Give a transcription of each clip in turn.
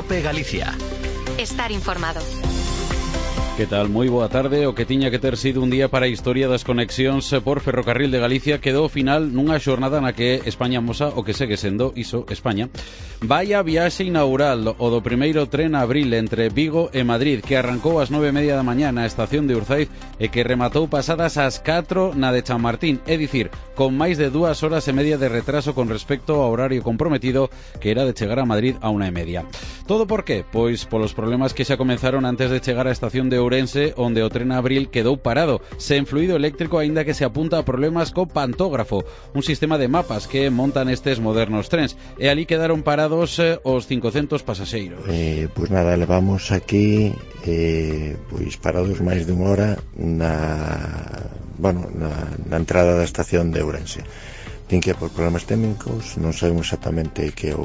COPE Galicia. Estar informado. Que tal? Moi boa tarde. O que tiña que ter sido un día para a historia das conexións por Ferrocarril de Galicia quedou ao final nunha xornada na que España amosa o que segue sendo iso, España. Vai a viaxe inaugural o do primeiro tren a abril entre Vigo e Madrid, que arrancou ás 9:30 da mañá na estación de Urzaiz e que rematou pasadas as 4 na de Chamartín, é dicir, con máis de 2 horas e media de retraso con respecto ao horario comprometido, que era de chegar a Madrid a 1:30. Todo por qué? Pois polos problemas que xa comenzaron antes de chegar á estación de Ourense, onde o tren a abril quedou parado, sen fluido eléctrico, aínda que se apunta a problemas co pantógrafo, un sistema de mapas que montan estes modernos trens, e ali quedaron parados os 500 pasaxeiros. Pois nada, levamos aquí pois parados máis de unha hora na entrada da estación de Ourense. Tin que por problemas técnicos, non sabemos exactamente que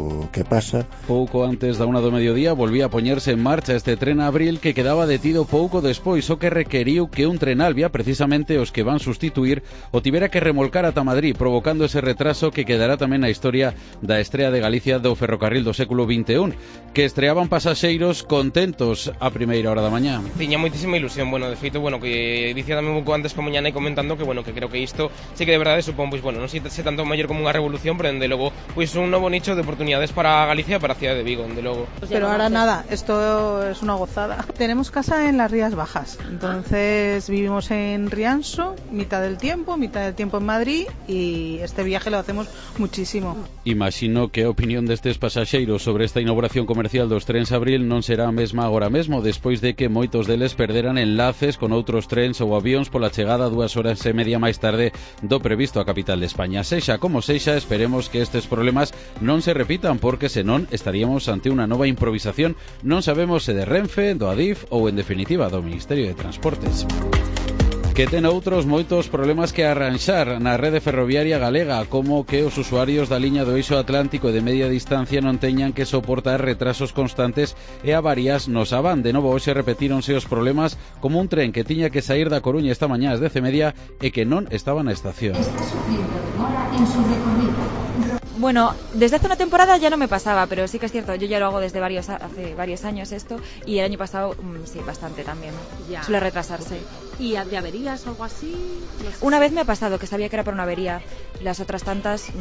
pasa. Pouco antes da 1 do mediodía volvía a poñerse en marcha este tren a abril que quedaba detido pouco despois, o que requeriu que un tren Alvia, precisamente os que van sustituir, o tivera que remolcar ata Madrid, provocando ese retraso que quedará tamén na historia da estrea de Galicia do ferrocarril do século XXI, que estreaban pasaxeiros contentos a primeira hora da mañá. Tiña moitísima ilusión, de feito, que dicía tamén un pouco antes como mañana e comentando que, que creo que isto sí que de verdade supón, non sei tanto maior como unha revolución, pero dende logo un novo nicho de oportunidades para Galicia e para a cidade de Vigo, dende logo. Pero ahora nada, esto es una gozada. Tenemos casa en las Rías Bajas, entonces vivimos en Rianxo, mitad del tiempo en Madrid, y este viaje lo hacemos muchísimo. Imagino que a opinión destes pasaxeiros sobre esta inauguración comercial dos trens abril non será a mesma agora mesmo, despois de que moitos deles perderan enlaces con outros trens ou avións pola chegada 2 horas e media máis tarde do previsto á capital de España. Sexa como sexa, esperemos que estes problemas non se repitan, porque senón estaríamos ante unha nova improvisación, non sabemos se de Renfe, do Adif ou en definitiva do Ministerio de Transportes, que ten outros moitos problemas que arranxar na rede ferroviaria galega, como que os usuarios da liña do eixo atlántico e de media distancia non teñan que soportar retrasos constantes e avarías nos Avan. De novo, hoxe repetíronse os problemas, como un tren que tiña que saír da Coruña esta mañá ás 10:30 e que non estaba na estación. Está sufriendo demora en su recorrido. Bueno, desde hace una temporada ya no me pasaba, pero sí que es cierto, yo ya lo hago desde hace varios años esto, y el año pasado sí, bastante también. Ya. Suele retrasarse. ¿Y de averías o algo así? Una vez me ha pasado, que sabía que era por una avería. Las otras tantas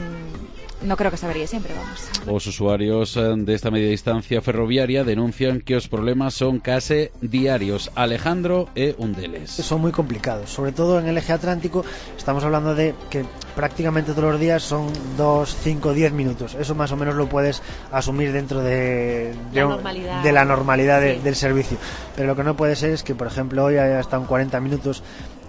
no creo que se averíe siempre, vamos. Os usuarios desta media distancia ferroviaria denuncian que os problemas son case diarios. Alejandro é un deles. Son muy complicados, sobre todo en el eje atlántico. Estamos hablando de que prácticamente todos los días son 2, 5, 10 minutos. Eso más o menos lo puedes asumir dentro de la normalidad del servicio. Pero lo que no puede ser es que, por ejemplo, hoy haya estado en 40 minutos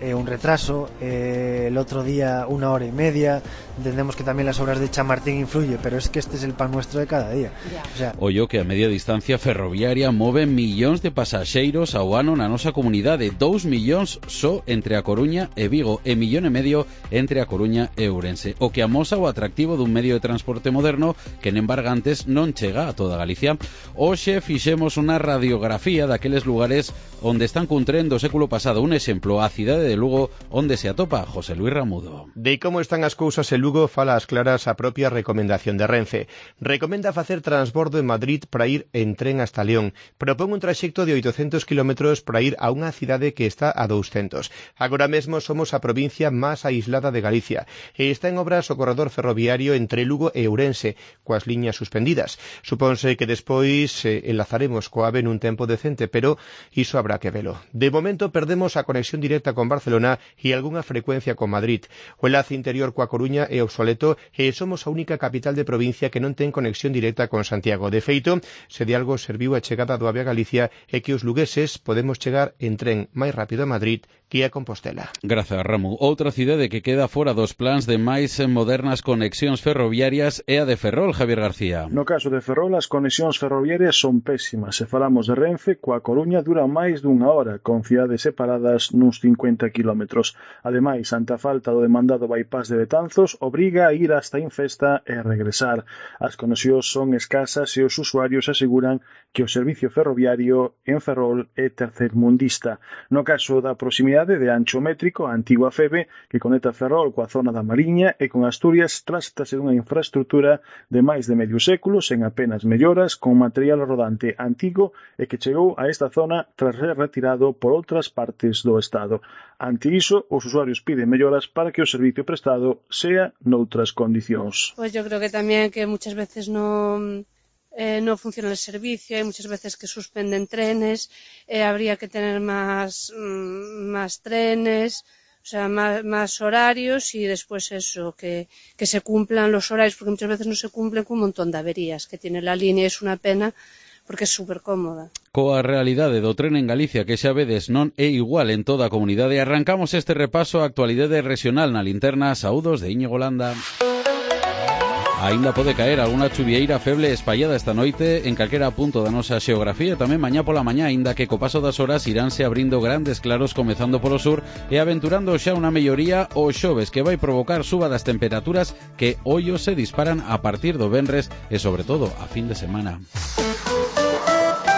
un retraso, el otro día 1 hora y media. Entendemos que también las obras de Chamartín influye, pero es que este es el pan nuestro de cada día. O sea, ollo que a media distancia ferroviaria move millóns de pasaxeiros ao ano na nosa comunidade, 2 millóns só entre a Coruña e Vigo e 1,5 millón entre a Coruña e Ourense, o que amosa o atractivo dun medio de transporte moderno que en embargantes non chega a toda Galicia. Hoxe fixemos unha radiografía daqueles lugares onde están cun tren do século pasado. Un exemplo, a cidade de Lugo, onde se atopa José Luis Ramudo. De como están as cousas en Lugo fala as claras a propia recomendación de Renfe. Recomenda facer transbordo en Madrid para ir en tren hasta León. Propón un traxecto de 800 km para ir a unha cidade que está a 200. Agora mesmo somos a provincia máis aislada de Galicia e está en obras o corredor ferroviario entre Lugo e Ourense, coas liñas suspendidas. Supónse que despois enlazaremos coa AVE nun tempo decente, pero iso habrá que velo. De momento perdemos a conexión directa con Barcelona e algunha frecuencia con Madrid. O enlace interior coa Coruña é obsoleto e somos a única capital de provincia que non ten conexión directa con Santiago. De feito, se de algo serviu a chegada do AVE a Galicia é que os lugueses podemos chegar en tren máis rápido a Madrid que a Compostela. Grazas, Ramu. Outra cidade que queda fora dos plans de máis modernas conexións ferroviarias é a de Ferrol, Javier García. No caso de Ferrol, as conexións ferroviarias son pésimas. Se falamos de Renfe, coa Coruña dura máis dunha hora, con cidades separadas nuns 50 km. Ademais, ante a falta do demandado bypass de Betanzos, obriga a ir hasta Infesta Monforte e regresar. As conexións son escasas e os usuarios aseguran que o servicio ferroviario en Ferrol é tercermundista. No caso da proximidade de ancho métrico, a antigua FEBE, que conecta Ferrol coa zona da Mariña e con Asturias, trátase dunha infraestrutura de máis de medio século sen apenas melloras, con material rodante antigo e que chegou a esta zona tras ser retirado por outras partes do Estado. Ante iso, os usuarios piden melloras para que o servicio prestado sea noutras condicións. Pues yo creo que también que muchas veces no funciona el servicio, hay muchas veces que suspenden trenes, habría que tener más trenes, o sea, más horarios y después eso, que se cumplan los horarios, porque muchas veces no se cumplen con un montón de averías que tiene la línea, es una pena porque é super cómoda. Coa realidade do tren en Galicia, que xa vedes non é igual en toda a comunidade, arrancamos este repaso á actualidade regional na linterna. Saúdos de Íñigo Landa. Aínda pode caer algunha chuvieira feble espallada esta noite en calquera punto da nosa xeografía e tamén mañá pola mañá, aínda que co paso das horas iránse abrindo grandes claros comezando polo sur e aventurando xa unha melloría o xoves que vai provocar suba das temperaturas que ollo se disparan a partir do venres e sobre todo a fin de semana.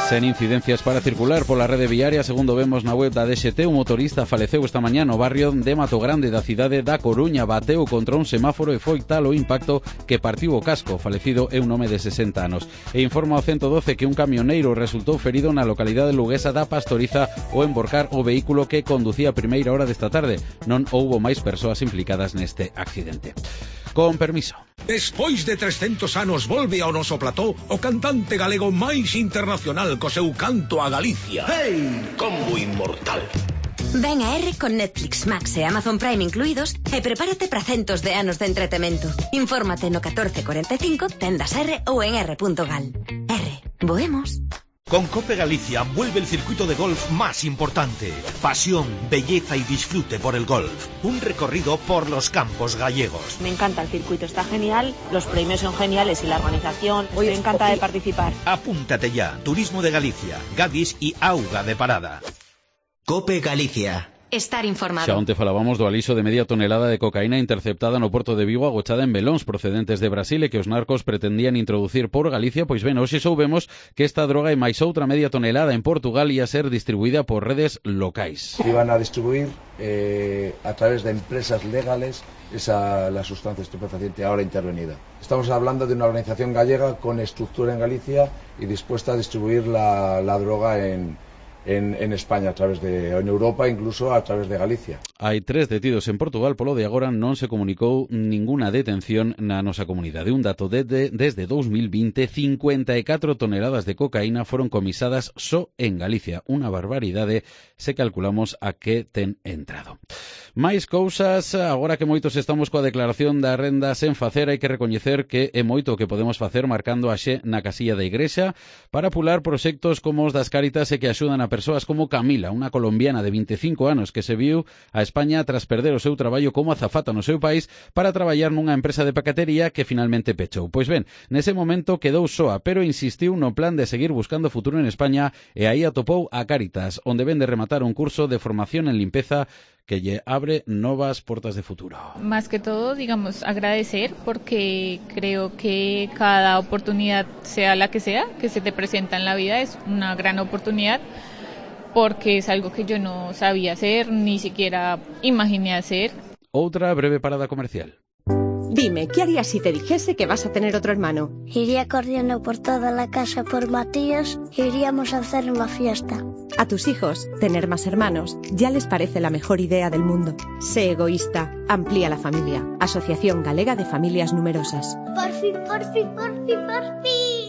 Sen incidencias para circular pola rede viaria, segundo vemos na web da DXT, un motorista faleceu esta mañá no barrio de Matogrande da cidade da Coruña, bateu contra un semáforo e foi tal o impacto que partiu o casco. Falecido é un home de 60 anos. E informa o 112 que un camioneiro resultou ferido na localidade luguesa da Pastoriza ao emborcar o vehículo que conducía a primeira hora desta tarde. Non houbo máis persoas implicadas neste accidente. Con permiso. Despois de 300 anos volve ao noso plató o cantante galego máis internacional co seu canto a Galicia. Hey, combo inmortal. Ven a R con Netflix, Max e Amazon Prime incluídos e prepárate para centos de anos de entretemento. Infórmate no 1445, tendas R ou en r.gal. R, voemos. Con Cope Galicia vuelve el circuito de golf más importante. Pasión, belleza y disfrute por el golf. Un recorrido por los campos gallegos. Me encanta el circuito, está genial, los premios son geniales y la organización. Hoy me encanta de participar. Apúntate ya. Turismo de Galicia, Gadis y Auga de Parada. Cope Galicia. Estar informado. Xa onte falábamos do aliso de media tonelada de cocaína interceptada no porto de Vigo agochada en velóns procedentes de Brasil e que os narcos pretendían introducir por Galicia. Pois ben, hoxe soubemos que esta droga e máis outra media tonelada en Portugal ia ser distribuída por redes locais. Iban a distribuir a través de empresas legales la sustancia estupefaciente ahora intervenida. Estamos hablando de una organización gallega con estructura en Galicia y dispuesta a distribuir la droga en España, en Europa, incluso a través de Galicia. Hai 3 detidos en Portugal, polo de agora non se comunicou ninguna detención na nosa comunidade. Un dato, desde 2020, 54 toneladas de cocaína foron comisadas só en Galicia. Unha barbaridade se calculamos a que ten entrado. Máis cousas, agora que moitos estamos coa declaración da renda sen facer, hai que recoñecer que é moito o que podemos facer marcando a xe na casilla da igrexa para apular proxectos como os das Cáritas e que axudan a persoas como Camila, unha colombiana de 25 anos que se viu a España tras perder o seu traballo como azafata no seu país para traballar nunha empresa de paquetería que finalmente pechou. Pois ben, nese momento quedou soa, pero insistiu no plan de seguir buscando futuro en España e aí atopou a Cáritas, onde ven de rematar un curso de formación en limpeza que lle abre novas portas de futuro. Más que todo, digamos, agradecer porque creo que cada oportunidad, sea la que sea, que se te presenta en la vida es una gran oportunidad porque es algo que yo no sabía hacer, ni siquiera imaginé hacer. Outra breve parada comercial. Dime, ¿qué harías si te dijese que vas a tener otro hermano? Iría corriendo por toda la casa por Matías y iríamos a hacer una fiesta. A tus hijos, tener más hermanos, ya les parece la mejor idea del mundo. Sé egoísta, amplía la familia. Asociación Galega de Familias Numerosas. Por fin, por fin, por fin, por fin.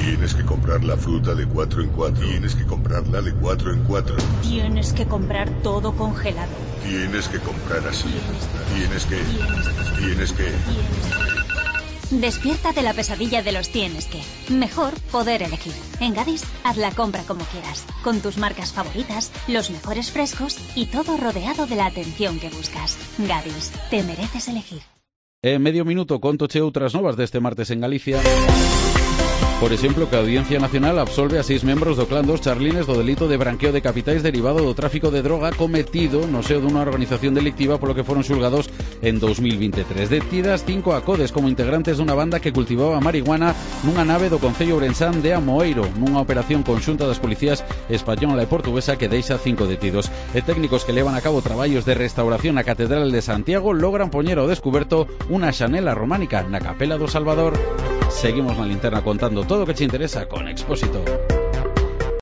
Tienes que comprar la fruta de 4 en 4. Tienes que comprarla de 4 en 4. Tienes que comprar todo congelado. Tienes que comprar así. Tienes que. Despierta de la pesadilla de los tienes que. Mejor poder elegir. En Gadis, haz la compra como quieras, con tus marcas favoritas, los mejores frescos y todo rodeado de la atención que buscas. Gadis, te mereces elegir. En medio minuto contoche outras novas deste martes en Galicia. Por exemplo, que a Audiencia Nacional absolve a 6 membros do clan dos Charlines do delito de branqueo de capitais derivado do tráfico de droga cometido no seo dunha organización delictiva polo que foron xulgados en 2023. Detidas 5 acodes como integrantes dunha banda que cultivaba marihuana nunha nave do concello ourensán de Amoeiro, nunha operación conxunta das policías española e portuguesa que deixa 5 detidos. E técnicos que levan a cabo traballos de restauración na Catedral de Santiago logran poñer ao descuberto unha xanela románica na Capela do Salvador. Seguimos na linterna contando todo o que te interesa con Expósito.